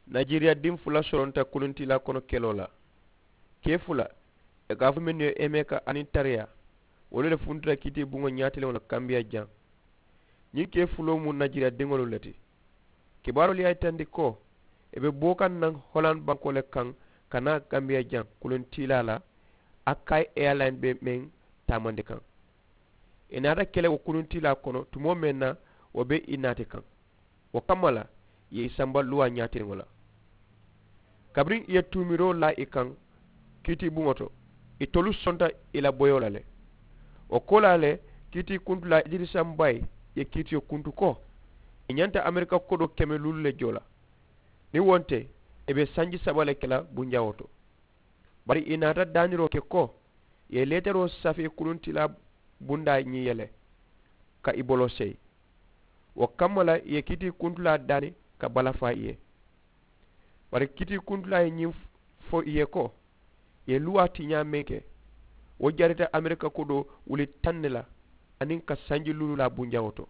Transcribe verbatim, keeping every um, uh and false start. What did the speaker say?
Najeriya diŋ fula soronta kuluntiilaa kono keloo la. Kee fula, i ka a fo mennu ye emeka aniŋ tariya, wolu le funtuta kiitiibuŋo ñaatiliŋo la kambiya jaŋ. Ñiŋ kee fuloo mu najeriya diŋolu le ti. Kibaaroolu ye a yitandi ko i be boo kaŋ naŋ holand bankoo le kaŋ, ka naa kambiya jaŋ kuluntiilaa la, a kayi eyalayini be meŋ taamandi kaŋ. I naata ke le wo kuluntiilaa kono tumoo meŋ na, wo be i naati kaŋ. Wo kamma la i ye i samba luwaa ñaatiriŋo la. Kabiriŋ i ye tuumiroo laa i kaŋ kiitii buŋo to, itolu sonta i la boyoo la le. Wo koolaa le, kiitii kuntulaa idirisa mbayi ye kiitiyo kuntu ko i ñanta amerika kodoo keme luulu le joo la. Niŋ wo nte, i be sanji saba le ke la bunjawoo to. Bari i naata daaniroo ke ko i ye leetaroo safee kuluntilaa bundaa ñiŋ ye le, ka i boloo seyi. Wo kamma la i ye kiitii kuntulaa daani ka balafaa i ye. Bari kiitii kuntulaa ye ñiŋ fo i ye ko i ye luwaa tiñaa meŋ ke, wo jarita amerika kodoo wuli taŋ ne la aniŋ ka sanji luululaa bunjawoo to.